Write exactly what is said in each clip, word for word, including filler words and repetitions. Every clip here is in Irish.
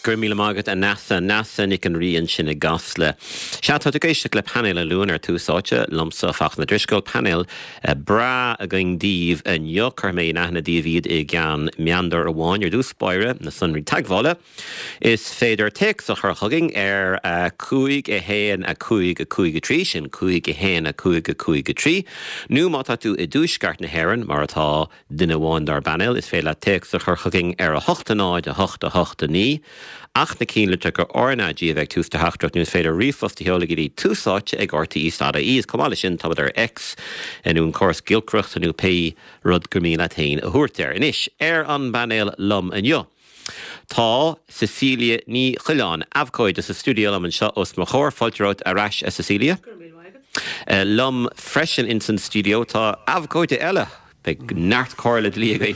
Go raibh míle maith agat, a Neasa. Neasa Nic an Rí ansin i gCasla. Sea, tá tú ag éisteacht le Painéal an Luain ar Tús Áite, liomsa, Fachtna Drisceoil. Painéal breá againn daoibh inniu. Cuirfidh mé in aithne daoibh iad i gceann meandar amháin. Ar dtús báire, na sonraí teagmhála. Is féidir téacs a chur chugainn ar a cúig a haon a cúig a cúig a trí, sin cúig a haon a cúig a cúig a trí, nó má tá tú i dtuaisceart na hÉireann, mar atá duine amháin dár bpainéal, is féidir leat téacs a chur chugainn ar a hocht a náid a hocht a hocht a naoi, ach na cinnlitreacha R N A G a bheith ag tús do theachtaireacht, nó is féidir ríomhphost a sheoladh go dtí túsáite ag R T E dot I E. Is chomh maith leis sin, táimid ar X nó an córas giolcaireachta nó pé rud gur mian leat féin a thabhairt air. Anois, ar an bpainéal liom inniu, tá Cecilia Ní Choileáin, abhcóide, sa stiúideo liom anseo os mo chomhair. Fáilte romhat ar ais, a Cecilia. Liom freisin in san stiúideo tá abhcóide eile. Beidh neart comhairle dlí againn.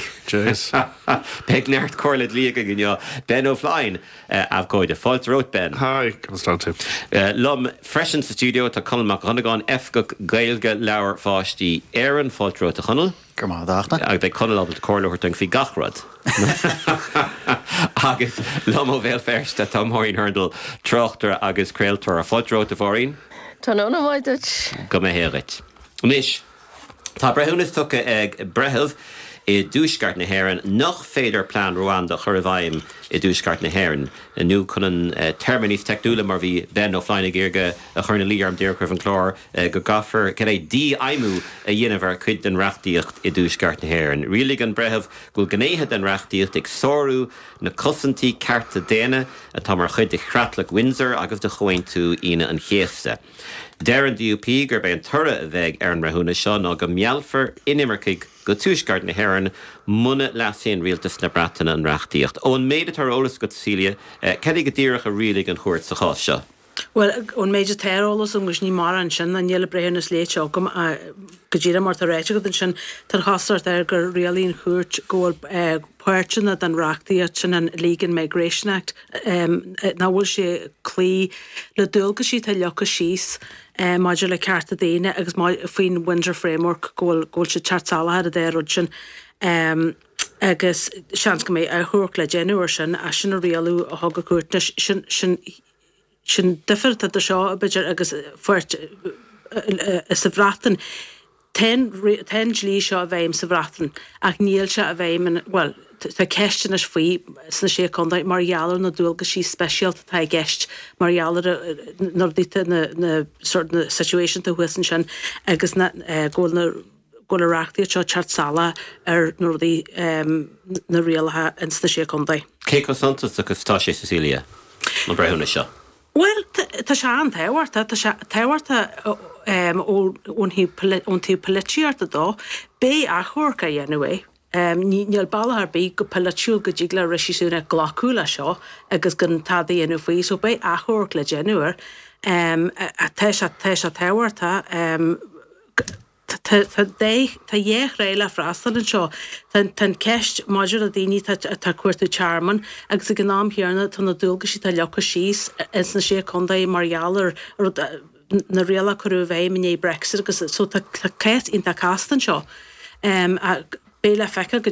Beidh neart comhairle dlí againn inniu. Ben O'Flynn, abhcóide. Fáilte romhat, Ben. Hi, conas tá tú? Liom freisin sa stiúideo tá Conall Mac Dhonnagáin, Oifigeach Gaeilge Leabhair Pháistí Éireann. Fáilte romhat, a Chonaill. Go maith a Agus beidh Conall ábalta comhairle a thabhairt faoi gach rud. Agus liom ó Bhéal Feirste tá Máirín Hurndall, tráchtaire agus craoltóir. Fáilte romhat, a Mháirín. Tá nóna mhaith duit. Go mbeidh duit. Anois, tá breithiúnas tugtha ag breitheamh i dtuaisceart na hÉireann nach féidir plean Ruanda a chur i bhfeidhm i dtuaisceart na hÉireann, nó chun an téarma níos teicniúla, mar bhí Ben O'Flynn ag iarraidh a chur ina luí orm díreach roimh an chlár, go gcaithfear cad é dífheidhmiú a dhéanamh ar chuid den reachtaíocht i dtuaisceart na hÉireann. Rialaigh an breitheamh go bhfuil gnéithe den reachtaíocht ag sárú na cosaintí cearta daonna atá mar chuid de Chreatlach Windsor agus de Chomhaontú Aoine an Chéasta. Deir an D U P gurb é an toradh a bheidh ar an mbreithiúnas seo ná go meallfar inimircigh go tuaisceart na hÉireann muna leasaíonn rialtas na Breataine an reachtaíocht. Ón méid atá ar eolas agat, Cecilia, cad é go díreach a rialaigh an chúirt sa chás seo? Well, ón méid atá ar eolas agus ní mar ansin an níl breithiúnas léite agam go díreach mar tá ráite agat ansin, tá an chosúlacht air gur rialaigh an chúirt go bhfuil páirteanna den reachtaíocht sin, an Legal Migration Act, nach bhfuil sé cloí le dualgaisí atá leagtha síos maidir le cearta daoine agus faoin Windsor Framework, go bhfuil go bhfuil sé teacht salach ar an dá rud sin. Um, agus seans go mbeidh achomharc le déanamh ar sin, as sin a rialú a thug an chúirt sin sin sin difear de seo b'fhéidir agus fuirt sa Bhreatain. Tá an dlí seo i bhfeidhm sa Bhreatain ach níl sé i bhfeidhm, well, tá ceisteanna faoi sna sé chontae mar gheall ar na dualgaisí speisialta atá i gceist mar gheall ar na rudaí, na na sort na situation thuas ansin agus na go bhfuil na go bhfuil an reachtaíocht seo teacht salach ar na rudaí, na rialacha ins na sé chontae. Cé chomh suntasach is atá sé, Cecilia, an breithiúnas seo? Well, tá sé an-tábhachtach, tá sé tábhachtach ón taobh polaitíochta dó. Beidh achomharc á dhéanamh é. Níl bealach ar bith go polaitiúil go dtig le Rishi Sunak glacadh le seo agus gan tada a dhéanamh faoi, so beidh achomharc le déanamh air. Tá sé tá sé tábhachtach. Tá dhá thrá le freastal anseo. Tá an ceist maidir le daoine atá ag cuartú tearmann agus ag an am chéanna tá na dualgaisí atá leagtha síos ins na sé chontae mar gheall ar na rialacha a cuireadh i bhfeidhm i ndiaidh Brexit agus so tá cás iontach casta anseo. Beidh le feiceáil go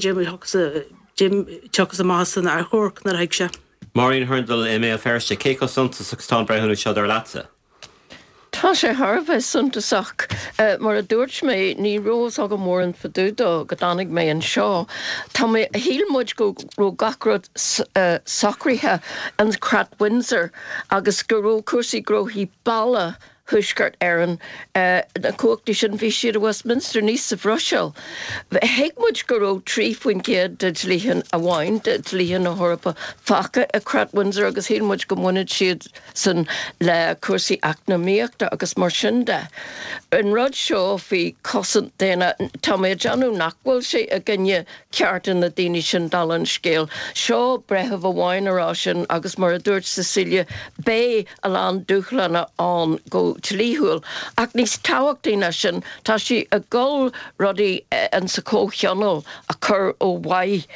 dtiocfas amach san achomharc nuair a thig sé. Máirín Hurndall i mBéal Feirste, cé chomh suntasach is atá an breithiúnas seo dar leatsa? Tá sé thar a bheith suntasach. Mar a dúirt mé, ní raibh fhios agam mórán fá dtaobh dó go dtáinig mé anseo. Tá mé, shíl muid go raibh gach rud socraithe an Creat Windsor agus go raibh cúrsaí gnóthaí baile Thuaisceart Éireann, na cumhachtaí sin, bhí siad i Westminster, ní sa Bhruiséil. Thuig muid go raibh trí faoin gcéad de dhlíthe amháin de dhlíthe na hEorpa fágtha i Creat Windsor agus shíl muid go mbaineann siad san le cúrsaí eacnamaíochta agus mar sin de. An rud seo faoi chosaint daonna, tá mé ag déanamh nach bhfuil sé i gcoinne cearta na daoine sin, dála an scéil. Seo breitheamh amháin a rá sin agus mar a dúirt Cecilia, beidh a lán dúshlána ann go dlíthiúil. Ach níos tábhachtaí ná sin, tá sí ag dul rudaí in sa comhthionól a chur ó mhaith.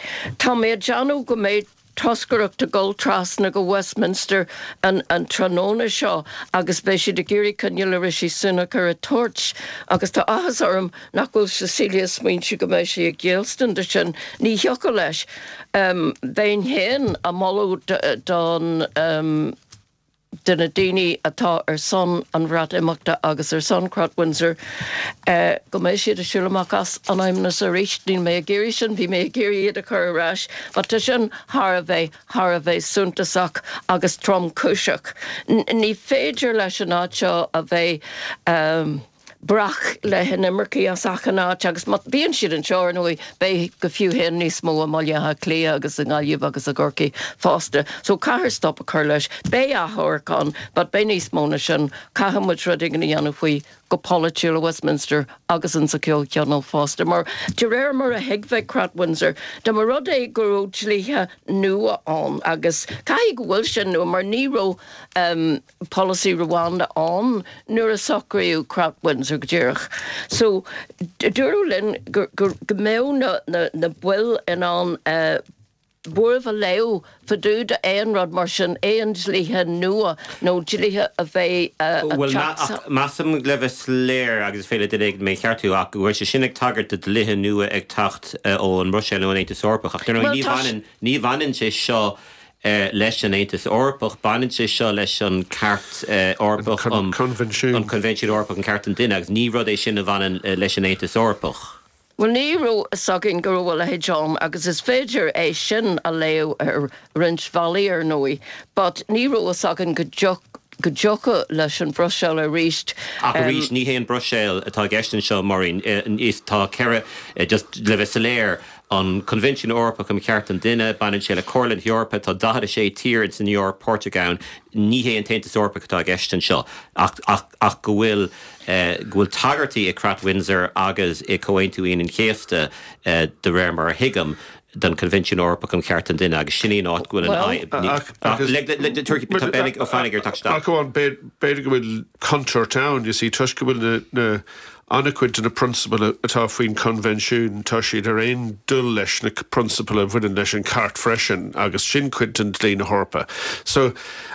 Tá mé ag déanamh go mbeidh toscaireacht ag dul trasna go Westminster an, an tráthnóna seo agus beidh siad ag iarraidh coinneáil le Rishi Sunak ar a toirt agus tá áthas orm nach bhfuil Cecilia ag smaointiú go mbeidh sé ag géillstin de sin ní thiocfadh leis. Um, Bheinn féin ag moladh don um, de na daoine atá ar son an Bhreatimeachta agus ar son Creat Windsor uh, go mbeidh siad ag siúl amach as an fheidhmeannas arís níl mé ag iarraidh sin bhí mé ag iarraidh iad a chur ar ais, but tá sin thar a bheith thar a bheith suntasach agus tromchúiseach. Ní féidir leis an áit seo a bheith um, breac le hinimircigh as achan áit agus má bhíonn siad anseo nó beidh go fiú féin níos mó i mBaile Átha Cliath agus i nGaillimh agus i gCorcaigh fosta. So caithfear stop a chur leis beidh achomharc ann, but beidh níos mó ná sin caithfidh muid rud éigin a dhéanamh faoi go polaitiúil Westminster agus an sa Chomhthionól fosta. Mar de réir mar a thuigfeadh Creat Windsor, De mar rud é go raibh dlíthe nua ann agus caithfidh go bhfuil sin nua mar ní raibh um, polasaí Rwanda ann nuair a socraíodh Creat Windsor go díreach. So dúradh linn go, go, go mbeadh na, na, na baill in ann uh, buaireamh a léiriú fá dtaobh de aon rud mar sin aon dlíthe nua nó dlíthe a bheidh Well measaim le bheith soiléir agus féidir duine mé a cheartú ach go bhfuil sé sin ag tagairt do dlíthe nua ag teacht ón mBruiséil nó an Aontas Eorpach ach ní bhaineann ní bhaineann sé seo leis an Aontas Eorpach, baineann sé seo leis an Cairt Eorpach um Coinbhinsiún an Coinbhinsiún Eorpach um Chearta an Duine agus ní rud é sin a bhaineann leis an Aontas Eorpach. Well ní raibh a fhios againn go raibh a leithéid ann agus is féidir é sin a léamh ar roinnt bealaí ar ndóigh, but ní raibh a fhios againn go go dtiocfadh leis an Bhruiséil arís. Ach arís ní hé an Bhruiséil atá i gceist anseo Maureen is tá ceithre just le bheith soiléir an Coinbhinsiún Eorpach um Chearta an Duine, baineann sé le Comhairle na hEorpa tá daichead a sé tír san Eoraip páirteach ann ní hé an tAontas Eorpach atá i gceist anseo ach, ach, ach go bhfuil go bhfuil tagairtí i Creat Windsor agus i Comhaontú Aoine an Chéasta de réir mar a thuigim don Coinbhinsiún Eorpach um Chearta an Duine agus sin í an áit go bhfuil an Ach b'fhéidir go bhfuil contúirt ann, you see toisc go bhfuil na an-chuid de na prionsabail atá faoin coinbhinsiún tá siad ar aon dul leis na prionsabail a bhaineann leis an Chairt freisin agus sin cuid den dlí na hEorpa. So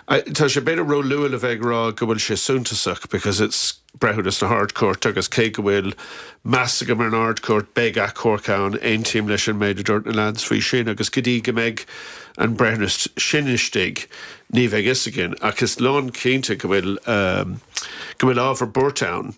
tá sé b'fhéidir ró-luath le bheith ag rá go bhfuil sé suntasach because it's breithiúnas na hArd-Chúirte agus cé go bhfuil meas agam ar an Ard-Chúirt beidh achomharc ann aontaím leis an méid a dúirt na lads faoi sin agus go dtí go mbeidh an breithiúnas sin istigh ní bheidh fhios againn ach is lán cinnte go bhfuil um, go bhfuil ábhar buartha ann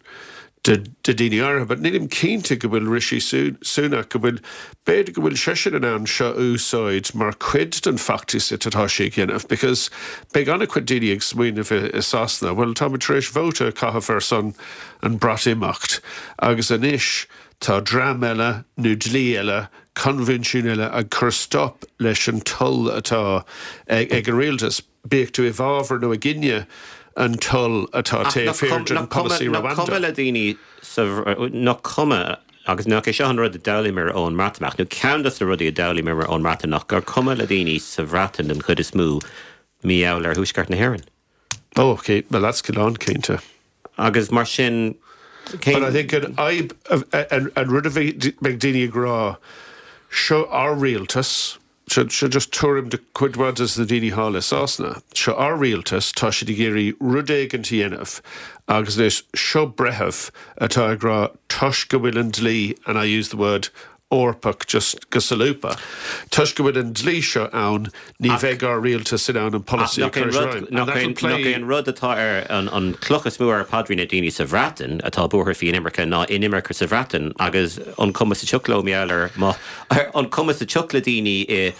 de daoine áirithe, but nílim cinnte go bhfuil Rishi Sunak go bhfuil b'fhéidir go bhfuil seisean in ann seo a úsáid mar chuid den fheachtas atá sé ag déanamh, because beidh an-chuid daoine ag smaoineamh i Sasana, well tá tar éis vóta a chaitheamh ar son an Bhreatimeacht agus anois tá dream eile nó dlí eile coinbhinsiún eile ag cur stop leis an toil atá ag, ag an rialtas, bíodh tú i bhfabhar nó i gcoinne an toil atá taobh thiar den polasaí Nach cuma le daoine nach cuma agus nach é seo an rud a d'fhoghlaimíomar ón mBreatimeacht, nó ceann de na rudaí a d'fhoghlaimíomar ón mBreatimeacht gur cuma le daoine sa Bhreatain den chuid is mó mar gheall ar Thuaisceart na hÉireann. Oh, okay, well that's lán cinnte. Agus mar sin But I think an an, an rud a bheidh daoine ag rá seo ár rialtas seo seo just tuairim de chuid mhaith de na daoine thall i Sasana. Seo ár rialtas tá siad ag iarraidh rud éigin a dhéanamh agus anois seo breitheamh atá ag rá toisc go bhfuil an dlí and I use the word Eorpach just go solúbtha. Toisc go bhfuil an dlí seo ann ní bheidh ár rialtas in ann an polasaí a chur i bhfeidhm. Nach é an rud atá ar an, an cloch is mó ar paidrín na daoine sa Bhreatain atá buartha faoi inimirce ná inimirce sa Bhreatain agus an cuma sa tsioc leo ar an cuma sa tsioc le daoine i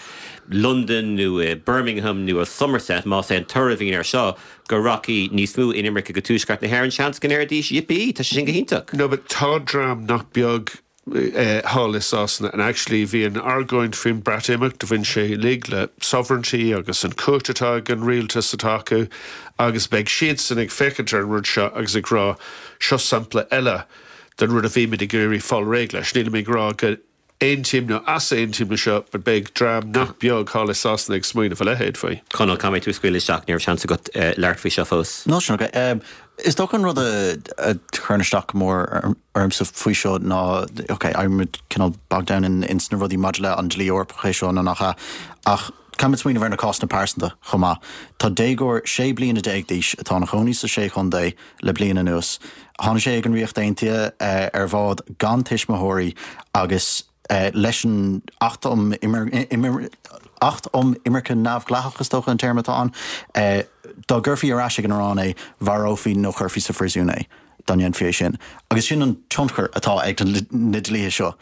London nó i Birmingham nó i Somerset más é an toradh a bhíonn air seo go rachaidh níos mó inimirce go Tuaisceart na hÉireann seans go ndéarfaidís yippee tá sé sin go hiontach. No, but tá dream nach beag uh, thall i Sasana and actually bhí an argóint faoin Breatimeacht a bhain sé uilig le sovereignty agus an chumhacht atá ag an rialtas atá acu agus beidh siadsan ag féachaint ar an rud seo agus ag rá seo sampla eile den rud a bhí muid ag iarraidh fáil réidh leis. Níl mé ag rá go aontaím nó easaontaím leis seo, but beidh dream nach beag thall i Sasana ag smaoineamh a leithéid faoi. Conall caithfidh mé tú a scaoileadh isteach ní raibh seans agat uh, labhairt faoi seo fós. No sin okay. Um, is dócha an rud a, a chuireann isteach go mór ormsa faoi seo ná okay, I'm cineál bogged down in, in sna rudaí maidir le an dlí Eorpach é seo nó nach ea ach Caithfimid smaoineamh ar na cásanna pearsanta chomh maith. Tá déagóir sé bliana déag d'aois atá ina chónaí sa sé chontae le bliain anuas. Tháinig sé ag an Ríocht Aontaithe eh, ar bhád gan tuismitheoirí agus eh, leis an Acht um Acht um Imirce Neamhdhleathach is dócha an téarma atá ann, eh, dá gcuirfí ar ais ag an Iaráin é mharófaí nó chuirfí sa phríosún é dá ndéanfaí é sin. Agus sin an tionchar atá ag na dlíthe seo.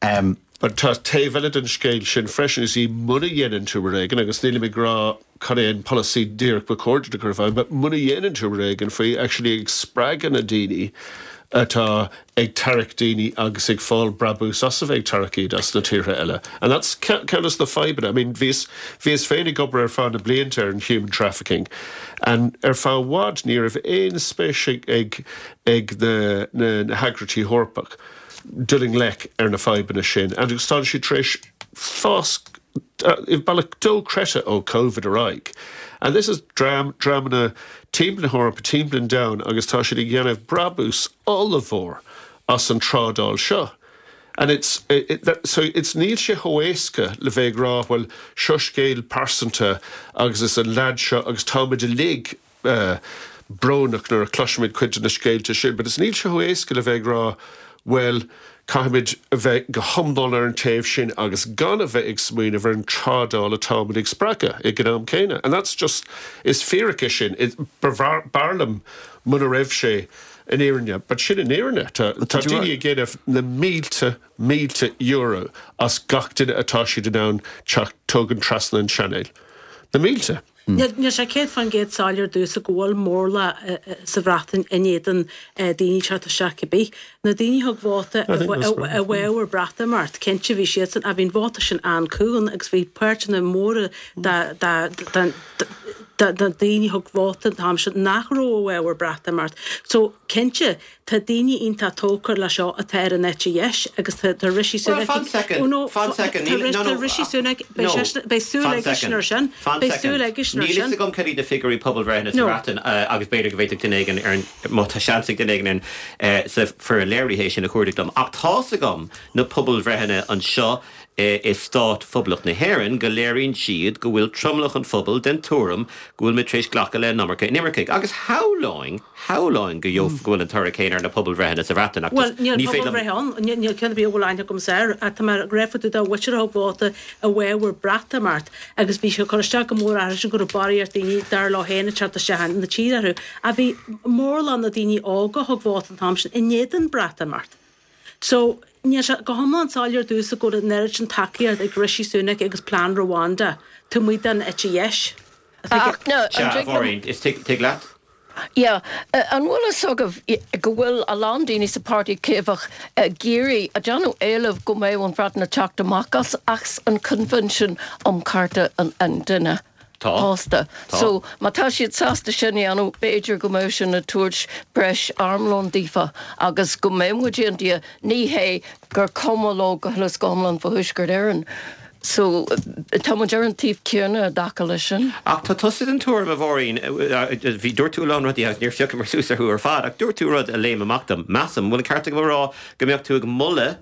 Um, But tá taobh eile den scéal sin freisin is í muna dhéanann tú rud éigin agus níl mé ag rá cad é an polasaí díreach ba chóir a chur i bhfeidhm, but muna dhéanann tú rud éigin faoi actually ag spreagadh na daoine atá ag tarrac daoine agus ag fáil brabús as a bheith ag tarrac iad as na tíortha eile. And that's ceann de na fadhbanna. I mean, bhíos bhíos féin ag obair ar feadh na blianta ar an human trafficking. And ar feadh i bhfad ní raibh aon spéis ag ag na, na, na heagraíochtaí Eorpach. dul i ngleic ar na fadhbanna sin, agus tá siad tar éis fás i bealach dochreidte ó COVID ar aghaidh. And this is dream dreamanna timpeall na hEorpa timpeall an domhain agus tá siad ag déanamh brabús ollmhór as an trádáil seo. And it's it, it, that, so it's níl sé chomh héasca le bheith ag rá well seo scéal pearsanta agus is an leaid seo agus táimid uilig uh, brónach nuair a chloisimid cuid de na scéalta sin, but is níl sé chomh héasca le bheith ag rá well caithfimid a bheith go hiomlán ar an taobh sin agus gan a bheith ag smaoineamh ar an trádáil atáimid ag spreagadh ag an am céanna. And that's just is fíric sin b'fhearr liom muna raibh sé an fhírinne, but sin an fhírinne tá daoine ag déanamh na mílte mílte euro as gach duine atá siad in ann teacht tógaint trasna an Channel. Na mílte. Níl sé céad faoin gcéad soiléir domhsa go bhfuil mórlach sa Bhreatain in éadan daoine teacht isteach cibé. Na daoine thug vóta i bhfabhar Breatimeacht, cinnte bhí siadsan a bhíon vóta sin an-cúng agus bhí páirteanna móra da daoine thug vóta an t-am sin nach raibh i bhfabhar Breatimeacht. So cinnte tá daoine iontach tógtha le seo atá ar an eite dheis agus tá Rishi Sunak Tá Rishi Sunak beidh súil aige sin ar sin beidh súil aige sin ar Níl sin. a fhios agam cad iad na figiúirí pobalbhreithe sa Bhreatain agus b'fhéidir go bhféadfadh duine éigin ar má tá seans ag duine éigin sa foireann léirithe sin a chuardach dom. Ach tá's agam na pobalbhreitheanna anseo i stát Phoblacht na hÉireann go léiríonn siad go bhfuil tromlach an phobail den tuairim go bhfuil muid tar éis glacadh le an iomarca inimircigh. Agus shamhlóinn shamhlóinn go go bhfuil an toradh céanna ar na pobalbhreitheanna sa Bhreatain Well níl pobalbhreith ann níl ceann bí bhfuil aithne agam air tá mar grefa dá bhhuitir thug vóta i bhfabhar Breatimeacht agus bhí sé chur isteach go mór air sin go raibh barraíocht daoine dar leo féin teacht isteach na tír orthu a bhí mórán na daoine óga thug vóta an t-am sin in éadan Breatimeacht. So níl sé go hiomlán soiléir domhsa go an oiread sin tacaíocht ag Rishi Sunak agus Plean Rwanda taobh amuigh den eite dheis. Ach no, an dtig liom- is tig leat? Ja, an bhfuil a fhios agaibh go bhfuil a lán daoine sa Páirtí Caomhach géirí a déanamh éileamh go mbeidh an Bhreatain ag teacht amach as as an Convention um Chearta an, an Duine. Tá. Fosta. Tá. So má tá siad sásta sin a dhéanamh b'fhéidir go mbeidh sin ag tabhairt breis armlón daofa agus go mbeidh muid aontaithe ní hé gur cuma leo go huile is go hiomlán fá Thuaisceart Éireann. So tá muid ar an taobh céanna i dtaca leis sin. Ach tá tusa den tuairim a Mháirín bhí dúirt tú lán rudaí agus níor phioc mé suas orthu ar fad ach dúirt tú rud a léim amach dom. Measaim bhfuil an ceart agam a rá go mbeadh tú ag moladh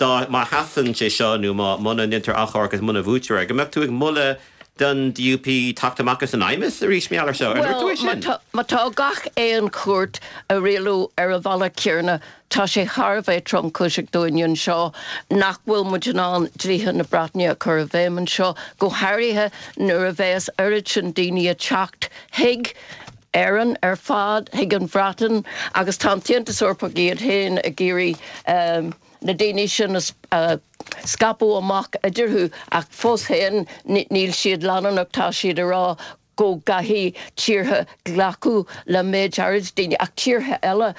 dá má sheasann sé seo nó má muna ndéantar achomharc agus muna bhuaitear go mbeadh tú ag moladh don DUP teacht amach as an fheidhmeannas arís mar gheall air seo. Ar dúirt tú é Well, sin? má tá- má tá gach aon chúirt ag rialú ar an bhealach céanna, tá sé thar a bheith tromchúiseach dúinn anseo nach bhfuil muid in ann dlíthe na Breataine a chur i bhfeidhm anseo, go háirithe nuair a bheas oiread sin daoine ag teacht chuig Éirinn ar fad chuig an Bhreatain agus tá an tAontas Eorpach iad féin ag iarraidh um, na daoine sin uh, scaipeadh amach idirthu ach fós féin níl siad leanúnach tá siad ag rá go gcaithfidh tíortha glacadh le méid áirid daoine ach tíortha eile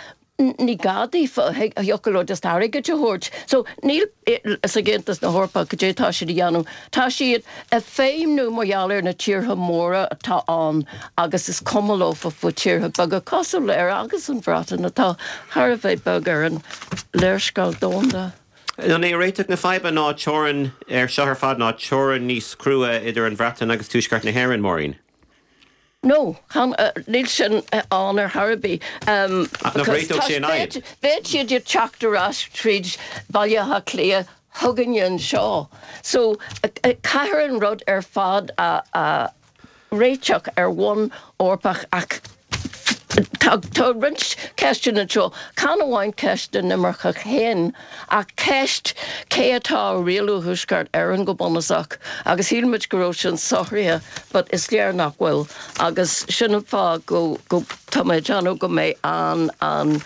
ní gá daofa thiocfadh just airgead a thabhairt. So níl is ag Aontas na hEorpa go dté tá siad a dhéanamh. Tá siad ag feidhmiú mar gheall ar na tíortha móra atá ann agus is cuma leofa faoi tíortha beaga cosúil le Éire agus an Bhreatain atá thar a bheith beag ar an léarscáil domhanda. An é réiteach na faidhbe ná teorainn ar seo ar fad ná teorainn níos crua idir an Bhreatain agus Tuaisceart na hÉireann Máirín. No, uh, níl sin ann ar chor ar bith. Um, Ach nach réiteodh sé an fhadhb? Bheadh siad ag teacht ar ais tríd Baile Átha Cliath chugainne anseo. So caithfear an rud ar fad a a réiteach ar bhonn Eorpach ach tá tá roinnt ceisteanna anseo, chan amháin ceist na n-imirceach féin ach ceist cé atá ag rialú Thuaisceart Éireann go bunúsach agus shíl muid go raibh sin socraithe but is léir nach bhfuil agus sin an fáth go go tá mé ag déanamh go mbeidh an an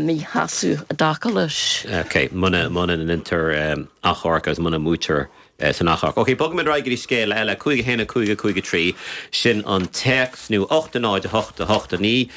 míshásamh i dtaca leis. Ok, muna muna ndéantar achomharc agus muna mbuaitear san achomharc. Ok, bogfaimid ar aghaidh go dtí scéal eile, cúig a haon a cúig a cúig a trí, sin an téacs nó ocht a náid a hocht a hocht a naoi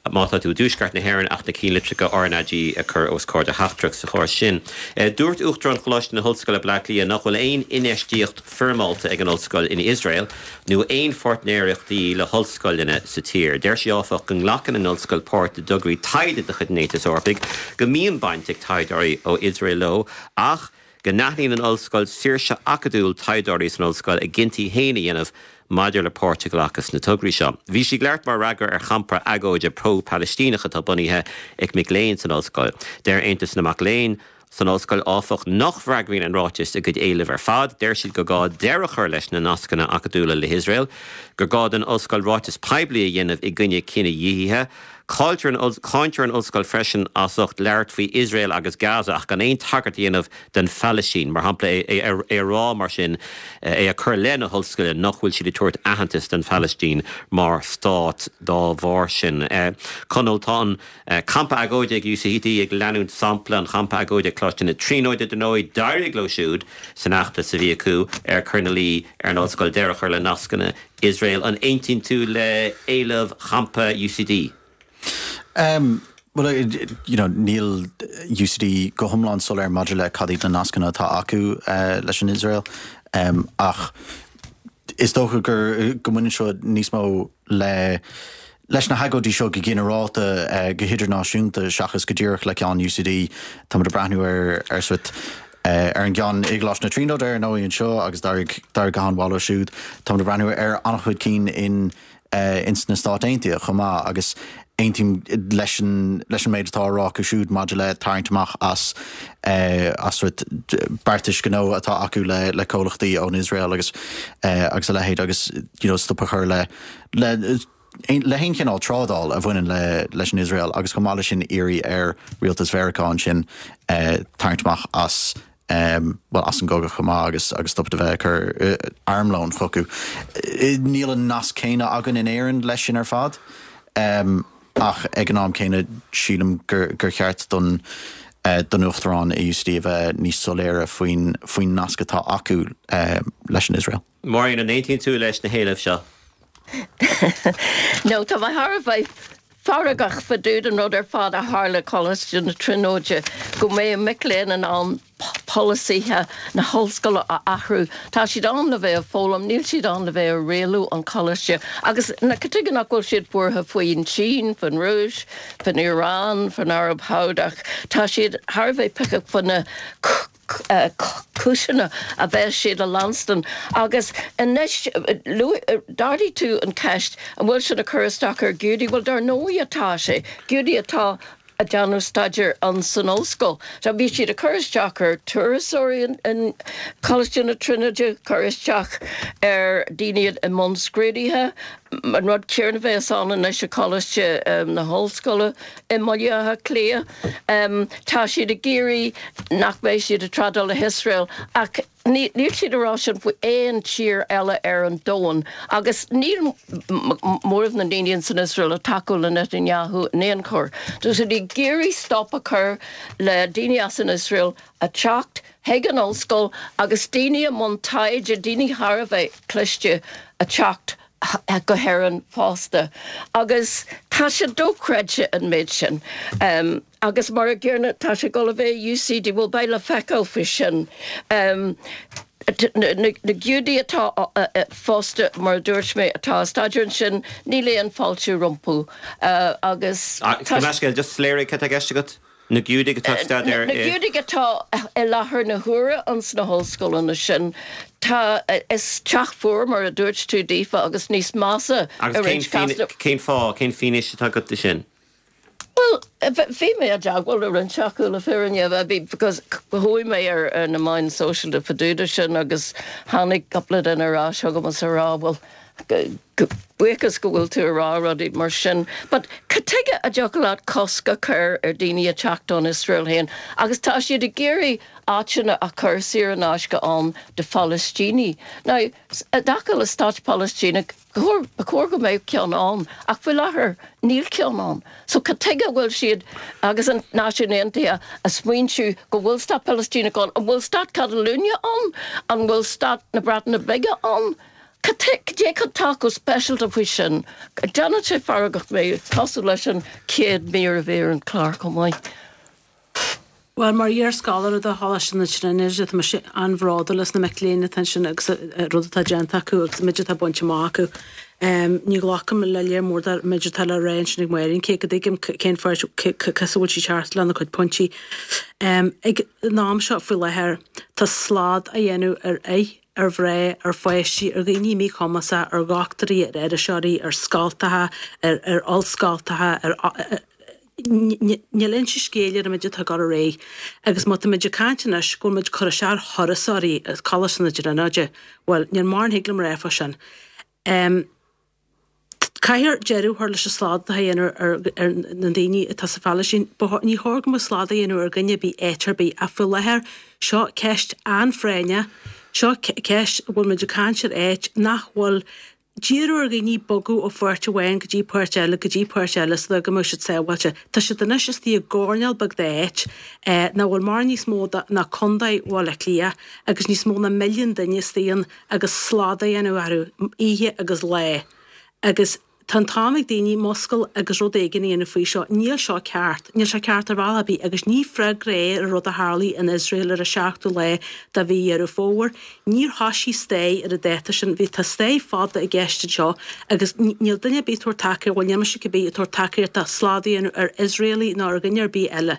má tá tú i dtuaisceart na hÉireann ach na cinnlitreacha RnaG a chur os comhair do theachtaireacht sa chás sin. Dúirt Uachtarán Choláiste na hOllscoile Bleá Cliath nach bhfuil aon infheistíocht foirmeálta ag an ollscoil in Iosrael nó aon pháirtnéireachtaí le hollscoileanna sa tír. Deir sí áfach go nglacann an ollscoil páirt i dtograí taighde de chuid an Aontais Eorpaigh, go mbíonn baint ag taighdeoirí ó Iosrael leo ach go n-aithníonn an ollscoil saoirse acadúil taighdeoirí san ollscoil a gcinntí féin a dhéanamh maidir le páirt a ghlacadh sna tograí seo. Bhí sí ag labhairt mar fhreagra ar champa agóide pro-Palaistíneach atá bunaithe ag mic léinn san ollscoil. Deir Aontas na Mac Léinn san ollscoil áfach nach bhfreagraíonn an ráiteas a gcuid éileamh ar fad. Deir siad gur gá deireadh a chur leis na nascanna acadúla le hIosrael, gur gá don ollscoil ráiteas poiblí a dhéanamh i gcoinne cinedhíothaithe. Cáintear an ollscoil freisin as ucht labhairt faoi Iosrael agus Gaza ach gan aon tagairt a dhéanamh don Phalaistín, mar shampla é a rá mar sin, é a chur i leith na hollscoile nach bhfuil siad ag tabhairt aitheantas don Phalaistín mar stát dá bharr sin. Conall, tá an campa agóide ag UCD ag leanúint sampla an champa agóide ag Coláiste na Tríonóide dar ndóigh, d'éirigh leo siúd san fheachtas a bhí acu ar cur ina luí ar an ollscoil deireadh a chur le nascanna Iosrael. An aontaíonn tú le héileamh champa UCD? Um, well, you know, níl UCD go hiomlán soiléir maidir le cad iad na nascanna atá acu uh, leis an Iosrael um, ach is dócha gur go mbaineann seo níos mó le leis na hagóidí seo go ginearálta uh, go hidirnáisiúnta seachas go díreach le ceann UCD tá ag breathnú ar ar sort uh, ar an gceann i gColáiste na Tríonóide ar ndóigh anseo agus d'éirigh go han-mhaith leo siúd tá ag breathnú ar an-chuid cinn in uh, in sna Stáit Aontaithe chomh maith agus aontaím leis an leis an méid atá á rá acu siúd maidir le tarraingt amach as uh, as sort beartais gnó atá acu le le comhlachtaí ón Iosrael agus uh, agus a leithéid agus you know, stop a chur le le le haon chineál trádáil a bhaineann le leis an Iosrael agus chomh maith leis sin iarraidh ar rialtas Mheiriceá ansin uh, tarraingt amach as um, well, as an gcogadh chomh maith agus agus stop de bheith cur uh, armlón chucu. Níl an nasc céanna againn in Éirinn leis sin ar fad. Um, ach ag an am céanna sílim gur, gur cheart don uh, don uachtarán i UCD a bheith níos soiléire faoin faoin nasc atá acu uh, leis an Iosrael. Máirín, an aontaíonn tú leis na héilimh seo? No, tá mé thar a bheith feargach fá dtaobh den rud ar fad a tharla Coláiste na Tríonóide go mbeidh mic léinn in ann polasaithe na hollscoile a athrú. Tá siad ann le bheith ag foghlaim, níl siad ann le bheith ag rialú an choláiste. Agus na cad chuige nach bhfuil siad buartha faoin tSín, faoin Rúis, faoin Iaráin, faoin Araib Shádach. Tá siad thar a bheith picach faoi na cúiseanna a bheas siad a leanstan. Agus anois d'ardaigh tú an ceist an bhfuil sin ag cur isteach ar Ghiúdaigh, bhuel dar ndóigh atá sé, Giúdaigh atá ag déanamh staidéir an san ollscoil. So bhí siad ag cur isteach ar turasóirí in Coláiste na Tríonóide, cur isteach ar daoine i mbun scrúduithe, an rud céanna a bheas ann anois i Coláiste na hOllscoile i mBaile Átha Cliath. Tá siad ag iarraidh nach mbeidh siad ag trádáil le hIosrael ach níl siad ag rá sin faoi aon tír eile ar an domhan agus níl móramh na ndaoine san Iosrael ag tacú le Netanyahu in aon chor. Tá siad ag iarraidh stop a chur le daoine as an Iosrael a teacht chuig an ollscoil agus daoine i mbun taighde, daoine thar a bheith cliste a teacht go hÉirinn fosta. Agus tá sé dochreidte an méid sin. Um, agus mar an gcéanna tá sé ag dul a bheith UCD bhuel beidh le feiceáil faoi sin. Um, na, na, na Giúdaigh atá fosta mar a dúirt mé atá ag staidéar ansin níl aon fáilte rompu uh, agus ah, tá just soiléirigh cad tá i gceist agat? Na Giúdaigh atá ag staidéar Na Giúdaigh atá i láthair na huaire ins na hollscoileanna sin tá is teach fuar mar a dúirt tú daofa agus níos measa Agus cén fáth cén fianaise atá agat de sin? Well Bhí mé i dteagmháil le roinnt acu le fírinne bhí because chuaigh mé ar ar na meáin sóisialta fá dtaobh de sin agus tháinig cúpla duine ar ais chugam is a rá bhuel buíochas go bhfuil tú ag rá rudaí mar sin. But cad tuige a dtiocfadh leat cosc a chur ar daoine a teacht ón Iosrael féin agus tá siad ag iarraidh áiteanna a chur saor in aisce ann do Phalaistínigh. Now i dtaca le stát Palaistíneach ba chóir go mbeadh ceann ann ach faoi láthair níl ceann ann. So cad tuige a bhfuil siad agus an Náisiún Aontaithe ag smaointiú go bhfuil stát Palaistíneach ann? An bhfuil stát Catalunya ann? An bhfuil stát na Breataine Bige ann? Cad é atá chomh speisialta faoi sin? Déanann sé feargach mé cosúil leis an chéad mír a bhí ar an chlár chomh maith. Bhuel, mar iar-scoláire de Choláiste na Tríonóide, tá mise an-bhródúil as na mic léinn atá ansin agus rud atá déanta acu agus an méid atá bainte amach acu. Ní ghlacaim le léar mór den méid atá le rá ansin ag Máirín, cé go dtuigim cén fáth cos a bhfuil sí ceart lena cuid pointí. Ag an am seo faoi láthair, tá slad á dhéanamh ar fhir, ar mhná, ar pháistí, ar dhaoine míchumasacha, ar dhochtúirí, ar iriseoirí, ar scoltacha, ar ar ollscoltacha, ar Níl inse scéil ar an méid atá ag dul ar aghaidh agus má tá muid ag caint anois go bhfuil muid ag cur isteach ar thurasóirí as Coláiste na Tríonóide, bhuel, níl mórán a thig liom a rá fá sin. Caithfear deireadh a chur leis an slad atá á dhéanamh ar ar na daoine atá sa Phalaistín. Ní chóir go mbeadh slad á dhéanamh ar dhuine ar bith áit ar bith ach faoi láthair seo ceist an-phráinneach, seo ceist a bhfuil muid ag caint ar áit nach bhfuil D'iarradh ar dhaoine bogadh ó pháirt amháin go dtí páirt eile go dtí páirt eile so go mbeadh siad sábháilte. Tá siad anois istigh i gcoirnéal beag d'áit nach bhfuil mórán níos mó ná Contae Bhaile Átha Cliath agus níos mó ná milliún duine istigh ann agus slad á dhéanamh orthu oíche agus lá. Agus tá an t-am ag daoine muscail agus rud éigin a dhéanamh faoi seo. Níl seo ceart. Níl sé ceart ar bhealach ar bith agus ní freagra é ar an rud a tharlaigh in Iosrael ar an seachtú lá de mhí Dheireadh Fómhair. Níor thoisigh stair ar an dáta sin. Bhí tá stair fada i gceist anseo agus níl duine ar bith ag tabhairt tacaíocht, bhuel níl mise cibé ag tabhairt tacaíocht do slad a dhéanamh ar Iosraelaigh ná ar dhuine ar bith eile.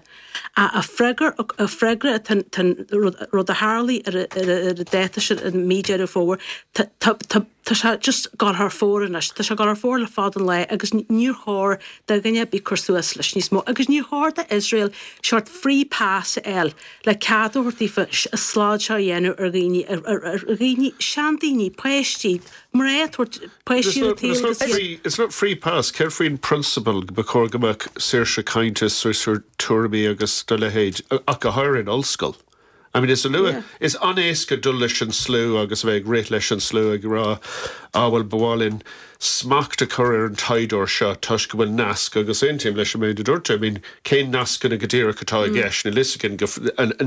A freagra a freagra tá an rud a tharlaigh ar an dáta sin i mí Deireadh Fómhair tá tá tá Tá sé just ag dul thar fóir anois. Tá sé ag dul thar fóir le fada an lá agus níor chóir do dhuine ar bith cur suas leis níos mó. Agus níor chóir do Iosrael seort free pass a fháil le cead a thabhairt daofa an slad seo a dhéanamh ar dhaoine, ar dhaoine, seandaoine, páistí, mná ag tabhairt páistí ar an tsaol agus iad. It's not free pass. Céard faoin prionsabal go ba chóir go mbeadh saoirse cainte, saoirse tuairimí agus dá leithéid, ach go háirithe in ollscoil? I mean is a luaithe, is an-éasca dul leis an slua agus a bheith ag rith leis an slua ag rá ah bhuel ba mhaith linn smacht a chur ar an taighdeoir seo toisc go bhfuil nasc agus aontaím leis an méid a dúirt tú, I mean cén nascanna go díreach atá i gceist, níl fhios againn go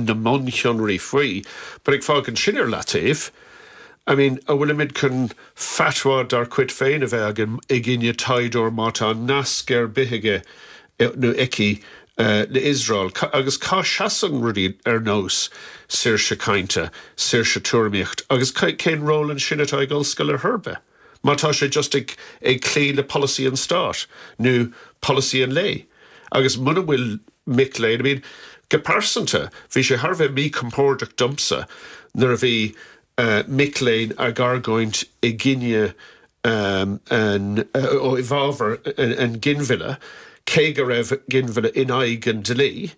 na mionshonraí faoi but ag fágaint sin ar leataobh, I mean an bhfuilimid chun fatwa dár gcuid féin a bheith againn i gcoinne taighdeoir má tá nasc ar bith aige nó aici le Iosrael agus cá seasann rudaí ar nós saoirse cainte, saoirse tuairimíocht agus cén ról ansin atá ag ollscoil ar chor ar bith má tá sé just ag ag cloí le polasaí an stáit nó polasaí an lae agus muna bhfuil mic léinn, I mean go pearsanta bhí sé thar a bheith míchompordach domsa nuair a bhí mic léinn ag argóint i gcoinne an i bhfabhar an ghinmhilleadh, cé go raibh ginmhilleadh in aghaidh an dlí,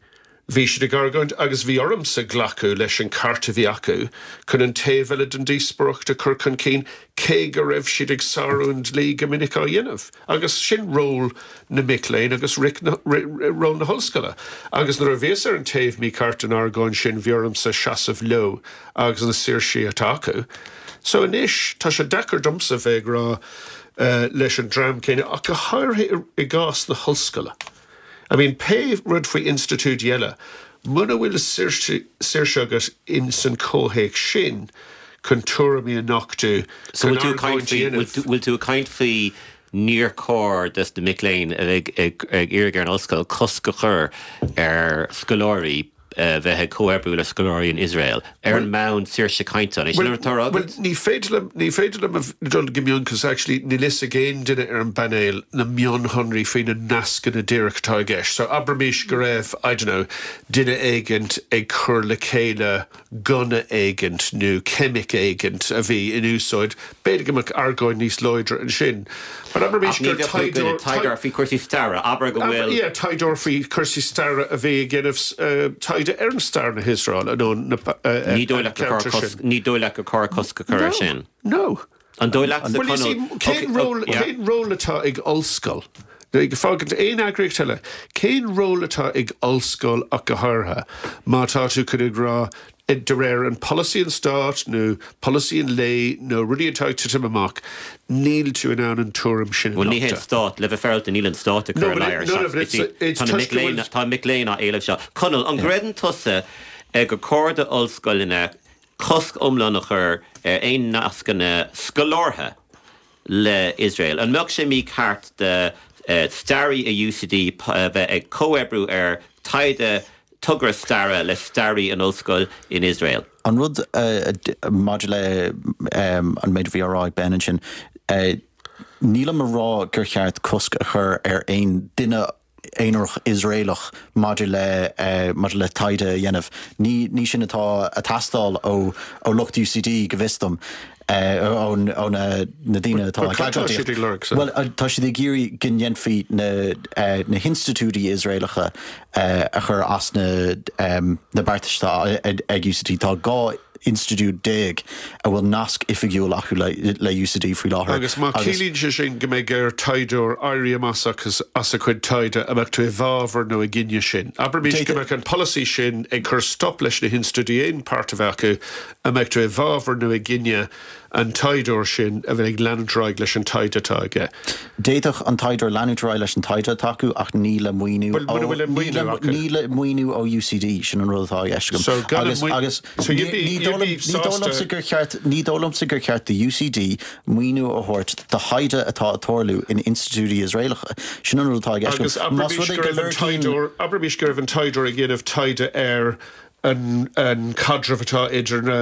bhí siad ag argóint agus bhí ormsa glacadh leis an ceart a bhí acu chun an taobh eile den díospóireacht a chur chun cinn, cé go raibh siad ag sárú an dlí go minic á dhéanamh. Agus sin ról na mic léinn agus ról na hollscoile. Agus nuair a bhíos ar an taobh mícheart den argóint sin bhí ormsa seasamh leo agus na saoirsí atá acu. So anois tá sé deacair domsa bheith ag rá leis an dream céanna, ach go háirithe i gcás na hollscoile. I mean, pé rud faoi institiúidí eile, muna bhfuil saoirse agat in san comhthéacs sin chun tuairimí a nochtadh, So chun bhfuil tú ag argóint caint a faoi, dhéanamh. bhfuil tú ag caint faoi níor chóir dos na mic léinn a bheith ag iarraidh ar an ollscoil cosc a chur ar scoláirí bheith ag comhoibriú le scoláirí in Iosrael ar an mbonn saoirse cainte? An é sin atá Well, ní féidir liom ní féidir liom dul go mion cos actually níl fhios ag aon duine ar an bpainéal na mionshonraí faoi na nascanna díreach atá i gceist. So abraimis go raibh, I don't know, duine éigint ag cur le chéile gunna éigint nó ceimic éigint a bhí in úsáid, b'fhéidir go mbeadh argóint níos láidre ansin. But abraimis ach ní gur bheadh tú taighdeoir taighdeoir faoi chúrsaí staire, abair go bhfuil Yeah, taighdeoir faoi chúrsaí staire a bhí ag déanamh uh, taighde ar an stair na hIosrael nó na uh, ní dóigh leat gur chóir cosc ní dóigh leat gur chóir cosc a chur air sin. No. An dóigh leat Well, you see, cén ról cén ról atá ag ollscoil? Ag fágaint aon eagraíocht eile, cén ról atá ag ollscoil ach go háirithe má tá tú chun ag rá de réir an policy an stát nó policy an lae nó rudaí atá ag titim amach, níl tú in ann an tuairim sin Well ní hé stát le bheith féaráilte níl an stát No, chur but it- no, no, but it's- it's Tá toisc go bhfuil- Tá mic léinn á éileamh seo. Conall an gcreideann tusa gur chóir d'ollscoileanna cosc iomlán a chur ar aon nascanna scolártha le Israel. An mbeadh sé mícheart do uh, staraí i U C D bheith ag comhoibriú ar taighde togra staire le staraí an ollscoil in Israel. An rud uh, maidir le um, an méid bhí rá Ben ansin, uh, nílim a rá gur cheart cosc a chur ar aon duine aonarach Israelach maidir le uh, maidir le taighde a dhéanamh. Ní, ní sin atá ag teastáil ó ó lucht U C D go bhfios dom. ó ó na na daoine atá But cad tá siad ag lorg, so? Well tá siad ag iarraidh go ndéanfaí na uh, na hinstitiúidí Israelacha uh, a chur as na um, na beartais ag, ag U C D. Tá dhá institiúid déag a bhfuil nasc oifigiúil acu le, le U C D faoi láthair. Agus má ciallaíonn sé sin go mbeidh ar taighdeoir éirí amach agus as a chuid taighde a mbeadh tú i bhfabhar nó i gcoinne sin. Abraimis go mbeadh an policy sin ag cur stop leis na hinstitiúidí aon páirt a bheith acu a mbeadh tú i bhfabhar nó i gcoinne an taighdeoir sin a bheith ag leanúint ar aghaidh leis an taighde atá aige. D'fhéadfadh an taighdeoir leanúint ar aghaidh leis an taighde atá acu ach ní le maoiniú Well, mura bhfuil an maoiniú acu. ní le maoiniú ó U C D sin an rud atá i gceist agam. So gan an agus, maoin- agus So you'd be- ní you'd be sásta- gur cheart ní dóigh liomsa gur cheart do U C D maoiniú a thabhairt do thaighde atá ag tarlú in institiúidí Israelacha. Sin an rud atá i gceist Agus agam. Más abraimis rud é go go raibh an lorgaíonn- taighdeoir abraimis go raibh an taighdeoir ag déanamh taighde ar an, an caidreamh atá idir na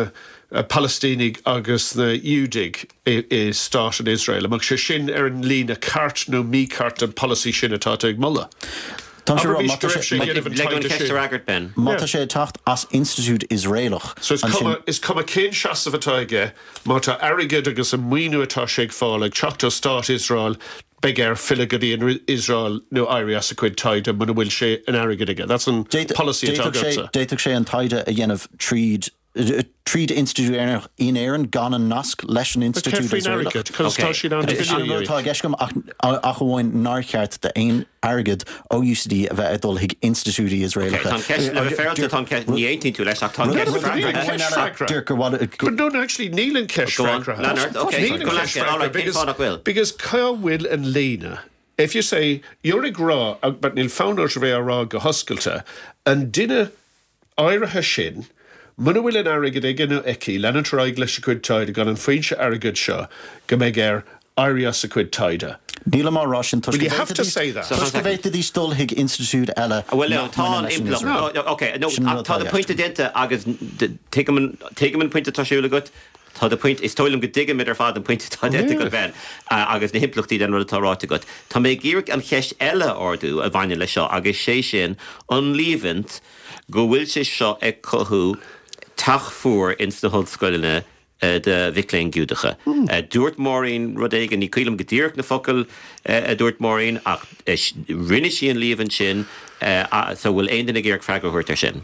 uh, Palestínigh agus na Iúdaigh i, i stát an Israel. Amach sé sin ar an líne ceart nó mícheart an policy sin atá ag moladh. Tá sé rá, Abraimis má tá go raibh sé- sé ag déanamh an Le an taighde ceist sin. a fhreagairt Ben. Má tá sé ag teacht as institiúid Israelach So is ansin- cuma, is cuma cén seasamh atá aige má tá airgead agus an maoiniú atá sé ag fáil ag teacht ó stát Israel beidh air filleadh go dtí an Israel nó éirí as a chuid taighde muna bhfuil sé an airgead aige. That's an policy atá D'fhéadfadh sé agatsa. d'fhéadfadh sé an taighde a dhéanamh tríd tríd institiúid Éireannach in Éirinn gan an nasc leis an institiúid faoin Israelach. airgead, cos tá siad an Sin an rud atá i gceist agam ach ach amháin nár cheart d'aon airgead ó U C D a bheith ag dul chuig institiúidí Israelacha. Tá ceist le bheith féaráilte tá ceist ní aontaíonn tú leis ach tá ceist freagraithe. freagra. Gur But no, no, actually, níl an ceist Go on, freagraithe. Leonard, okay. Níl an Go ceist leis, all right, freagraithe, cén fáth nach bhfuil? because cá bhfuil an líne. If you say, you're ag rá, uh, but níl fonn ort a bheith á rá go hoscailte, an duine áirithe sin, muna bhfuil an airgead aige nó aici, leanúint ar aghaidh leis a chuid taighde gan an foinse airgead seo go mbeidh air éirí as a chuid taighde. Níl mar rá sin Well, you have to say that. Toisc go bhféadfaidís dul chuig institiúid eile. Well, no, nach tá mbaineann leis an impleacht. Israel. Ok, no, Sin rud tá atá de i pointe déanta agus tuigim an pointe atá siúl agat. Tá de pointe is dóigh liom go dtuigimid ar fad an pointe atá déanta agat Ben agus na himpleachtaí den rud atá ráite agat. Tá mé ag iarraidh an cheist eile a ardú a bhaineann le seo agus sé sin an líomhain go bhfuil sé seo ag cothú teach fuar ins na hollscoileanna de mhic léinn Giúdacha. Dúirt Maureen rud éigin ní cuimhin liom go díreach na focail a dúirt Maureen ach rinne sí an líomhain sin so bhfuil aon duine ag iarraidh freagra a thabhairt ar sin